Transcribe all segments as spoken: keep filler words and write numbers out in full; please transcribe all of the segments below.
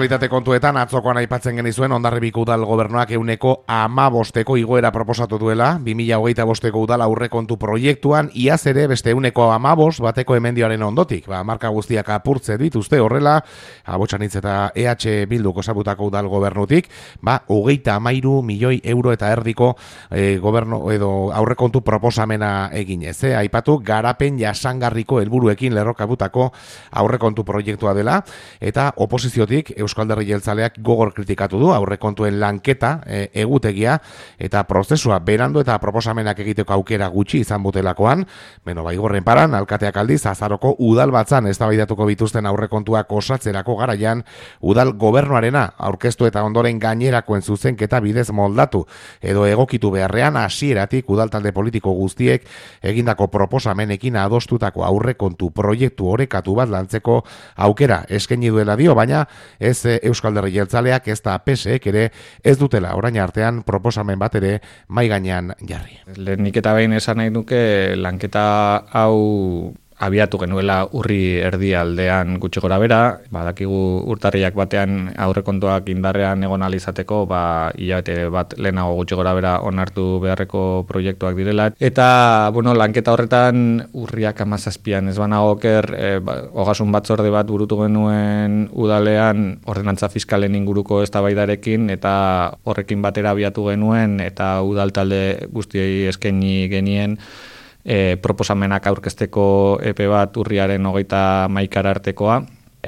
aktualitate kontuetan atzokoan aipatzen genizuen Hondarribiko udal gobernuak ehuneko hamabosteko igoera proposatu duela, bi mila hogeita bosteko udal aurrekontu proiektuan, iaz ere beste ehuneko hamabost bateko emendioaren ondotik. Ba, marka guztiak apurtze dituzte horrela, Abotsanitz eta E H Bilduk osatutako udal gobernutik, ba, hogeita hamairu milioi euro eta erdiko e, gobernu edo aurrekontu proposamena eginez. E, aipatu garapen jasangarriko helburuekin lerrokatutako aurrekontu proiektua dela, eta oposiziotik Eusko Alderdi Jeltzaleak gogor kritikatu du aurrekontuen lanketa e, egutegia eta prozesua berandu eta proposamenak egiteko aukera gutxi izan butelakoan. Beno, baigorren paran, alkateak aldiz azaroko udal batzan eztabaidatuko bituzten aurrekontuak osatzerako garaian udal gobernuarena aurkeztu eta ondoren gainerakoen zuzenketa bidez moldatu edo egokitu beharrean hasieratik udal talde politiko guztiek egindako proposamenekin adostutako aurrekontu proiektu orekatu bat lantzeko aukera eskaini duela dio, baina ez Eusko Alderdi Jeltzaleak ez da P S ek ere ez dutela orain artean proposamen bat ere mai gainean jarri. Lehenik eta behin esan nahi nuke lanketa hau abiatu genuela urri erdialdean gutxi gora bera, badakigu urtarriak batean aurrekontuak indarrean egon ahal izateko, ba hilabete bat lehenago gutxi gora bera onartu beharreko proiektuak direla. Eta, bueno, lanketa horretan urriak hamazazpian ez banago oker, e, ba, ogasun batzorde bat burutu genuen udalean ordenantza fiskalen inguruko eztabaidarekin eta horrekin batera abiatu genuen eta udal talde guztiei eskaini genien E, proposamenak aurkezteko epe bat urriaren hogeita hamaikara artekoa,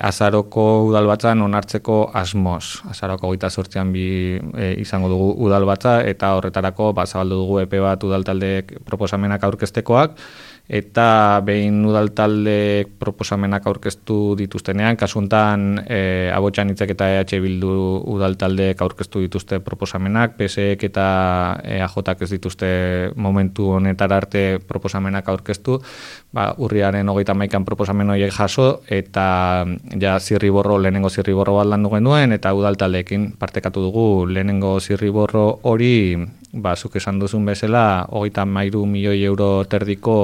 azaroko udal batzan onartzeko asmoz. Azaroko hogeita zortzian bi e, izango dugu udal batza eta horretarako ba, zabaldu dugu epe bat udal taldeek proposamenak aurkeztekoak, eta behin udal talde proposamenak aurkeztu dituztenean, kasuntan e, Abotsanitzek eta E H Bildu udal taldeek aurkeztu dituzte proposamenak, P S ek eta E A Jk ez dituzte momentu honetara arte proposamenak aurkeztu, ba, urriaren hogeita hamaikan proposamen horiek jaso, eta ja zirriborro, lehenengo zirriborro bat landu genuen, eta udal taldeekin partekatu dugu lehenengo zirriborro hori, ba, zuk esan duzun bezala, hogeita hamairu milioi euro terdiko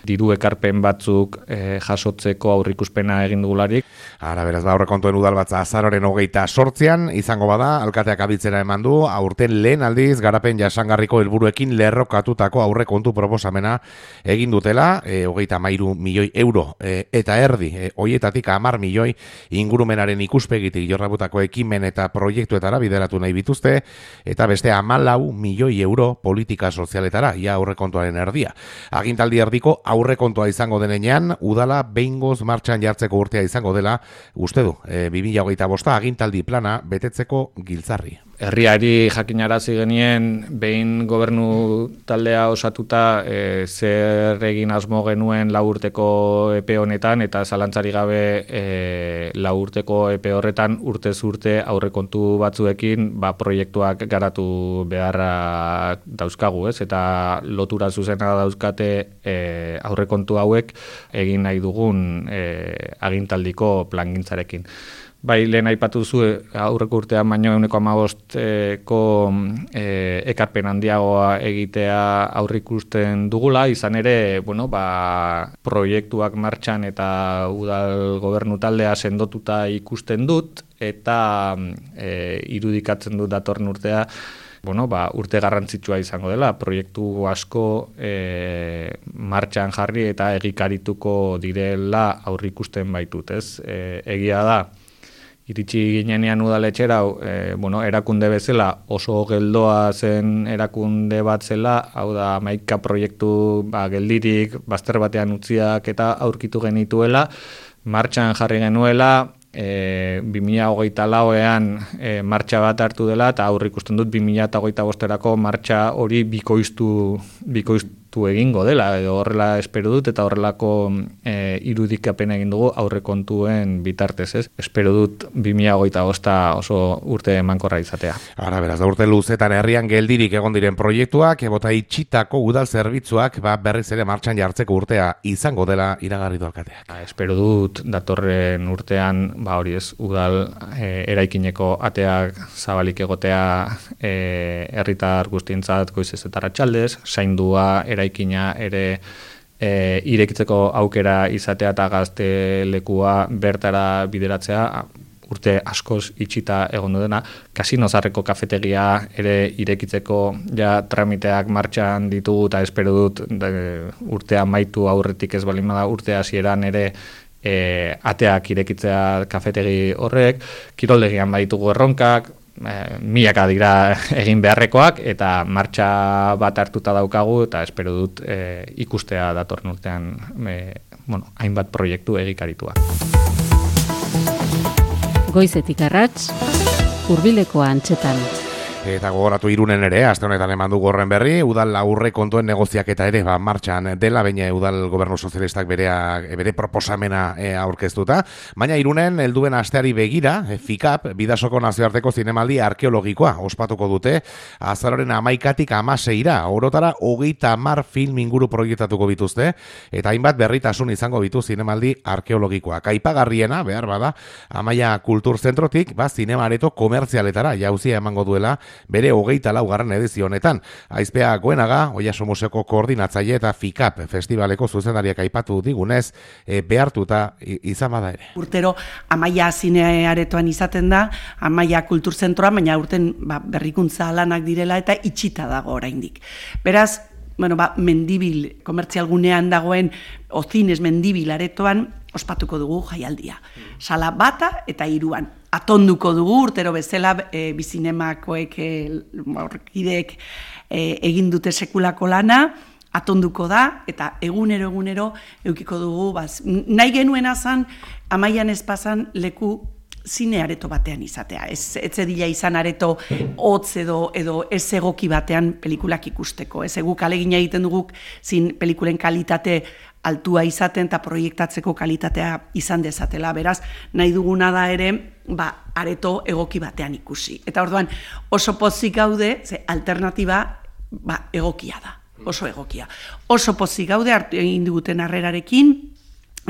diru ekarpen batzuk e, jasotzeko aurrikuspena egin dugularik. Ara, beraz, ba, aurrekontuen udal batza azaroren hogeita sortzian, izango bada, alkateak abitzera eman du, aurten lehen aldiz garapen jasangarriko helburuekin lerrokatutako aurrekontu proposamena egin dutela, e, hogeita hamairu milioi euro, e, eta erdi, e, hoietatik hamar milioi ingurumenaren ikuspegitik jorrabutako ekimen eta proiektuetara bideratu nahi bituzte, eta beste hamalau milioi euro politika sozialetara, ia aurrekontuaren erdia. Agintaldi erdiko aurrekontua izango denean, udala behingoz martxan jartzeko urtea izango dela, uste du, e, bi mila hogeita bosta agintaldi plana betetzeko giltzarri. Herriari jakinarazi genien behin gobernu taldea osatuta e, zer egin asmo genuen lau urteko epe honetan, eta zalantzari gabe e, lau urteko epe horretan urtez urte aurrekontu batzuekin ba, proiektuak garatu beharra dauzkagu, ez? Eta lotura zuzena dauzkate e, aurrekontu hauek egin nahi dugun e, agintaldiko plangintzarekin. Bai, lehen aipatu zu aurreko urtean baino ehuneko hamabosteko e, ekarpen handiagoa egitea aurrikusten dugula, izan ere, bueno, ba, proiektuak martxan eta udal gobernu taldea sendotuta ikusten dut, eta e, irudikatzen dut datorren urtea, bueno, ba, urte garrantzitsua izango dela, proiektu asko e, martxan jarri eta egikarituko direla aurrikusten baitut, ez? E, egia da, iritsi ginenean udaletxera, e, bueno, erakunde bezala oso geldoa zen erakunde bat zela, hau da hamaika proiektu ba, geldirik, bazter batean utziak eta aurkitu genituela, martxan jarri genuela, e, bi mila hogeita lauean e, martxa bat hartu dela, eta aurrikusten dut bi mila hogeita bosterako martxa hori bikoiztu, bikoiztu egingo dela, edo horrela espero dut, eta horrelako e, irudikapen egin dugu aurrekontuen bitartez, ez? Espero dut bi mila hogeita bosta oso urte emankorra izatea. Ara, beraz, da urte luzetan herrian geldirik egon diren proiektuak, ebota itxitako udal zerbitzuak ba, berriz ere martxan jartzeko urtea izango dela iragarri du alkateak. Ba, espero dut datorren urtean, ba hori ez, udal e, eraikineko ateak zabalik egotea e, herritar guztientzat goizez eta arratsaldez, zaindua eraikina ere e, irekitzeko aukera izatea eta gaztelekua bertara bideratzea urte askoz itxita egon dena, Kasino Zaharreko kafetegia ere irekitzeko ja tramiteak martxan ditugu eta espero dut de, urtea maitu aurretik ez balin bada urte hasieran ere e, ateak irekitzea kafetegi horrek, kiroldegian baditugu erronkak, e, milaka dira egin beharrekoak eta martxa bat hartuta daukagu eta espero dut e, ikustea datorren urtean e, bueno, hainbat proiektu egikarituak. Goizetik arrats, hurbileko antxetan. Eta gogoratu Irunen ere, aste honetan eman du gorren berri, udal aurre kontuen negoziaketa ere ba, martxan dela, baina udal gobernu sozialistak berea, bere proposamena e, aurkeztuta. Baina Irunen helduen asteari begira, e, FIKAP, Bidasoko nazioarteko zinemaldi arkeologikoa ospatuko dute, azaroren hamaikatik hamaseira, orotara hogeita hamar film inguru proiektatuko bituzte, eta hainbat berritasun izango bitu zinemaldi arkeologikoa. Aipagarriena, behar bada, Amaia Kulturzentrotik, ba, zinema areto komertzialetara jauzia emango duela, bere hogeita laugarren edizio honetan. Aizpea Goenaga, Oiaso Museoko koordinatzaile eta FIKAP festivaleko zuzendariak aipatu digunez, e, behartuta izan bada ere. Urtero Amaia zinearetoan izaten da, Amaia Kulturzentroa, baina urten ba, berrikuntza lanak direla eta itxita dago oraindik. Beraz, bueno, ba, mendibil, komertzialgunean dagoen Ozines mendibil aretoan, ospatuko dugu jaialdia. Sala bata eta hiruan. Atonduko dugu urtero bezala e, bizinemakoek e, orkideek e, egin dute sekulako lana, atonduko da eta egunero egunero eukiko dugu baz. Nahi genuena zan Amaian espazan leku zine areto batean izatea. Ez etzedila izan areto hotz edo edo ez egoki batean pelikulak ikusteko. Ez egu kalegina egiten dugu zin pelikulen kalitate altua izaten eta proiektatzeko kalitatea izan dezatela. Beraz, nahi duguna da ere, ba, areto egoki batean ikusi. Eta orduan, oso pozik gaude, ze alternatiba ba, egokia da, oso egokia. Oso pozik gaude, hartu egin diguten harrerarekin,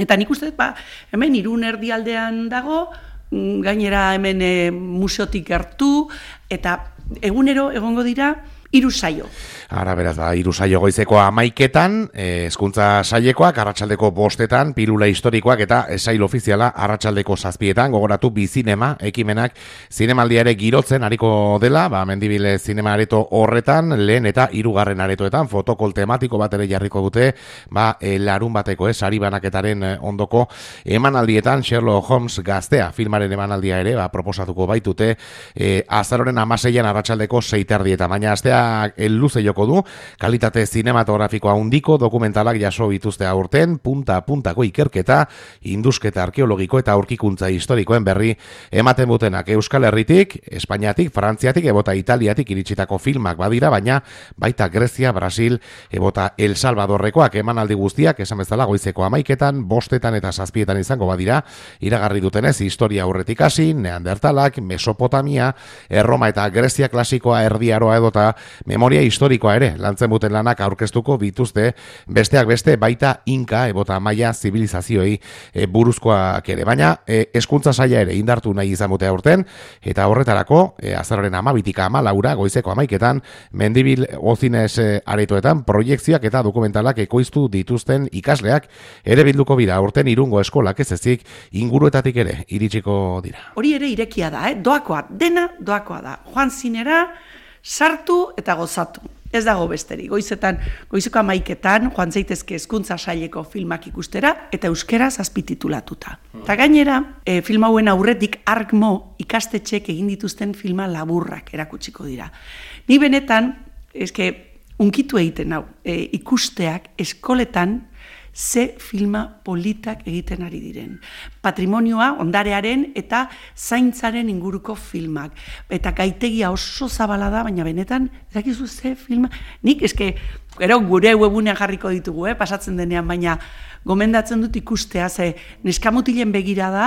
eta nik uste, ba, hemen Irun erdialdean dago, gainera hemen e, museotik gertu, eta egunero egongo dira, hiru saio. Ara, beraz, ba, hiru saio goizeko hamaiketan, hezkuntza sailekoak, arratsaldeko bostetan, pilula historikoak eta sail ofiziala arratsaldeko zazpietan, gogoratu bizinema, ekimenak zinemaldia ere girotzen ariko dela, ba, mendibile zinema areto horretan, lehen eta hirugarren aretoetan, fotokol tematiko bat ere jarriko dute, ba, e, larun bateko, ez, sari banaketaren ondoko emanaldietan, Sherlock Holmes gaztea, filmaren emanaldia ere, ba, proposatuko baitute, e, azaroren hamaseian arratsaldeko seiterdieta, baina astea luze joko du, kalitate zinematografikoa handiko dokumentalak jaso bituzte aurten, punta-puntako ikerketa, indusketa arkeologiko eta aurkikuntza historikoen berri ematen butenak Euskal Herritik, Espainiatik, Frantziatik, ebota Italiatik iritsitako filmak badira, baina baita Grezia, Brasil, ebota El Salvadorrekoak emanaldi guztiak, esan bezala goizeko hamaiketan, bostetan eta zazpietan izango badira, iragarri dutenez, historia aurretik hasi, Neandertalak, Mesopotamia, Erroma eta Grezia klasikoa, Erdi Aroa edota memoria historikoa ere lantzen buten lanak aurkeztuko bituzte, besteak beste baita Inka ebota Maia zibilizazioei e, buruzkoak ere, baina e, hezkuntza saila ere indartu nahi izan bute aurten, eta horretarako e, azaroren hamabitika hamalaura goizeko hamaiketan mendibil Ozines e, aretoetan proiekzioak eta dokumentalak ekoiztu dituzten ikasleak ere bilduko bira aurten Irungo eskolak ez ezik inguruetatik ere iritsiko dira. Hori ere irekia da, eh? Doakoa, dena doakoa da. Joan zinera, sartu eta gozatu. Ez dago besterik. Goizetan, goizeko hamaiketan, joan zaitezke hezkuntza saileko filmak ikustera eta euskeraz azpititulatuta. Eta gainera, e, film hauen aurretik Arkmo ikastetxek egin dituzten filma laburrak erakutsiko dira. Ni benetan, eske, unkitu egiten hau, e, ikusteak eskoletan ze filma politak egiten ari diren. Patrimonioa, ondarearen eta zaintzaren inguruko filmak. Eta gaitegia oso zabala da, baina benetan, ez dakizu ze filma, nik eske, gero gure webunean jarriko ditugu, eh, pasatzen denean, baina gomendatzen dut ikustea, ze neskamutilen begira da,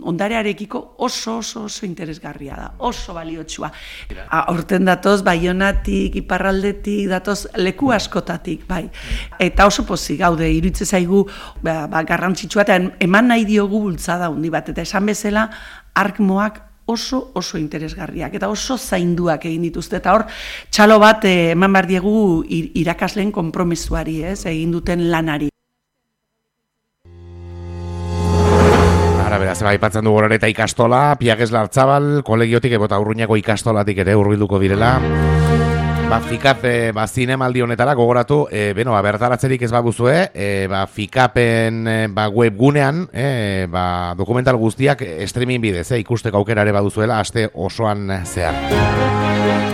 ondarearekiko oso oso oso interesgarria da, oso baliotsua. Horten datoz, Baionatik, Iparraldetik, datoz leku askotatik, bai. Eta oso pozik gaude, iruditzen zaigu ba, ba, garrantzitsua, eta eman nahi diogu bultzada handi bat, eta esan bezala, Arkmoak oso oso interesgarriak eta oso zainduak egin dituzte, eta hor txalo bat eh, eman behar diegu irakasleen konpromesuari, ez, egin duten lanari. Beraz, aipatzen dugu horreta ikastola, Piages Lartzabal, kolegiotik ebota Urruñako ikastolatik ere hurbilduko direla. Ba, Fikape, ba, zinemaldi honetara gogoratu, e, beno, ba, bertaratzerik ez baguzue, e, ba, Fikapen e, ba, webgunean, e, ba, dokumental guztiak streaming bidez, e, ikusteko aukera ere baduzuela, aste osoan zehar.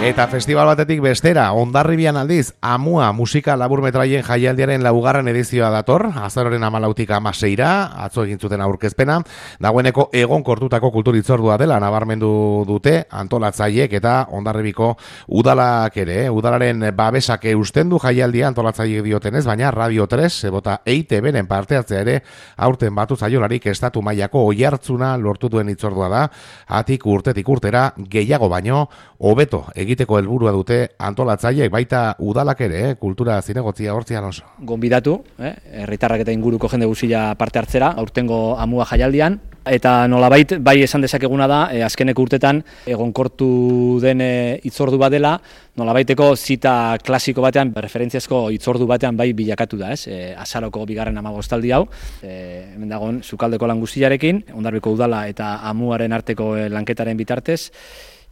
Eta festival batetik bestera, Hondarribian aldiz, Amua musika laburmetraien jaialdiaren laugarren edizioa dator, azaroren hamalautik hamaseira, atzo egin zuten aurkezpena, dagoeneko egonkortutako kulturitzordua dela nabarmendu dute antolatzaiek eta Hondarribiko udalak ere, udalaren babesak eusten du jaialdia antolatzaiek diotenez, baina Radio tres ebota E I T B-ren parte hartzea ere aurten batu zaiolarik estatu mailako oihartzuna lortu duen itzordua da, atik urtetik urtera gehiago baino hobeto egiteko helburua dute antolatzaileek baita udalak ere, eh? Kultura zinegotzia hortzian oso. Gonbidatu, eh? herritarrak eta inguruko jende guztia parte hartzera, aurtengo Amua jaialdian, eta nolabait bai esan dezakeguna da, eh, azkeneko urtetan egonkortu den eh, itzordu bat dela, nolabaiteko zita klasiko batean, referentziazko itzordu batean bai bilakatu da, ez? E, azaroko bigarren hamabostaldi hau, e, hemen dagoen Sukaldeko lan guztiarekin, Hondarribiko udala eta Amuaren arteko eh, lanketaren bitartez,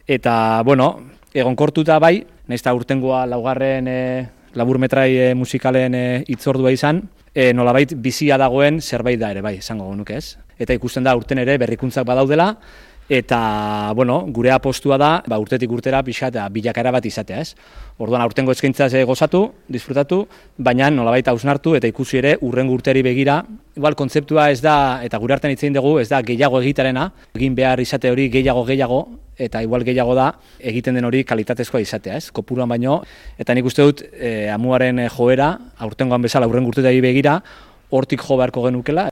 eta, bueno, egonkortuta bai, nahiz eta urtengoa laugarren e, laburmetrai e, musikalen e, itzordua izan, e, nolabait bizia dagoen zerbait da ere bai, esango genuke ez. Eta ikusten da urten ere berrikuntzak badaudela, eta, bueno, gure apostua da, ba, urtetik urtera pixa eta bilakaera bat izatea, ez? Orduan, aurtengo eskaintzaz gozatu, disfrutatu, baina nolabait hausnartu eta ikusi ere urrengo urteri begira. Igual, kontzeptua ez da, eta gure artean hitzein dugu, ez da gehiago egitarena, egin behar izate hori gehiago gehiago, eta igual gehiago da egiten den hori kalitatezkoa izatea, ez? Kopuruan baino, eta nik uste dut e, Amuaren joera, aurtengoan bezala urrengo urtetari begira, hortik jo beharko genukela.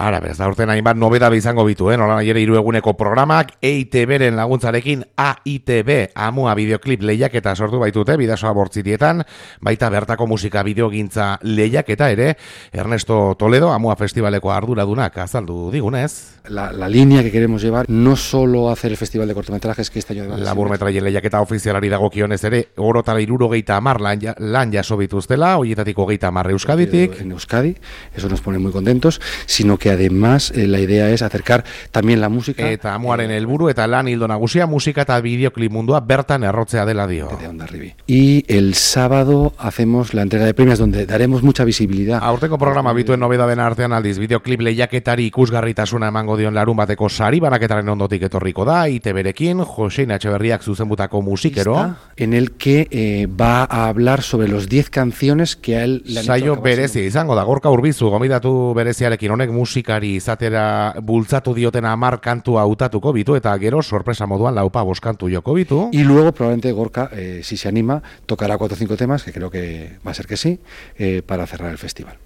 Ara, bez, da urten hainbat nobedabe izango bitu, eh? Nola ere hiru eguneko programak, E I T B-ren laguntzarekin A I T B Amua bideoklip lehiaketa sortu baitute, bidasoa bortzitietan, baita bertako musika bideogintza lehiaketa ere, Ernesto Toledo, Amua Festivaleko arduradunak azaldu digunez. La, la línea que queremos llevar, no solo hacer el festival de cortometrajes que este año... Laburmetraien lehiaketa ofizialari dagokionez ere, orotara hirurogeita hamar lan, lan jaso bituztela, horietatik hogeita hamar Euskaditik. En Euskadi, eso nos pone muy contentos, sino que además eh, la idea es acercar también la música. Eta Amuaren helburu eta lan hildo nagusia musika eta bideoklip mundua bertan errotzea dela dio. De Hondarribi. Y el sábado hacemos la entrega de premios donde daremos mucha visibilidad. Aurteko programa bituen nobedaden artean aldiz bideoklip lehiaketari ikusgarritasuna emango dion larun bateko sari banaketaren ondotik etorriko da, I T B-rekin, Josein Etxeberriak zuzenbutako musikero. En el que eh, va a hablar sobre los diez canciones que a él le han Saio hecho berezi izango da, Gorka Urbizu, gomidatu bereziarekin honek musikari izatera bultzatu dioten hamar kantua hautatuko bitu, eta gero sorpresa moduan laupa bost kantu joko bitu. Y luego probablemente Gorka, eh, si se anima, tocará cuatro o cinco temas, que creo que va a ser que sí, eh, para cerrar el festival.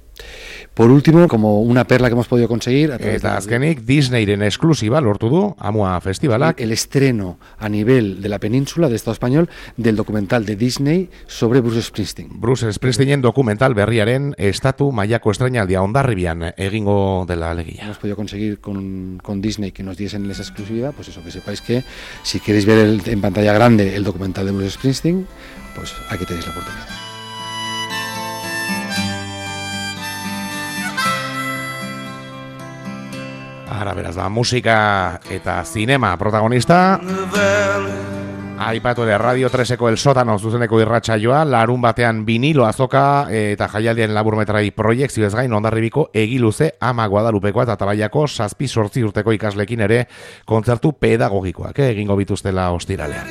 Por último, como una perla que hemos podido conseguir... Eta azkenik, Disneyren esklusiba lortu du Amua Festivalak. El estreno a nivel de la península, del Estado español, del documental de Disney sobre Bruce Springsteen. Bruce Springsteenen dokumental berriaren estatu mailako estreinaldia Hondarribian egingo dela alegia. Hemos podido conseguir con, con Disney que nos diesen esa exclusividad, pues eso, que sepáis que si queréis ver el, en pantalla grande el documental de Bruce Springsteen, pues aquí tenéis la oportunidad. Ara, beraz, da, musika eta zinema protagonista. Aipatu ere, Radio treseko El Sótano zuzeneko irratsaioa, larun batean vinilo azoka eta jaialdien laburmetrai proiektzio ez gain Hondarribiko egiluze Ama Guadalupekoa eta Tabaiako zazpi sortzi urteko ikaslekin ere kontzertu pedagogikoak eh, egingo bituztela ostiralean.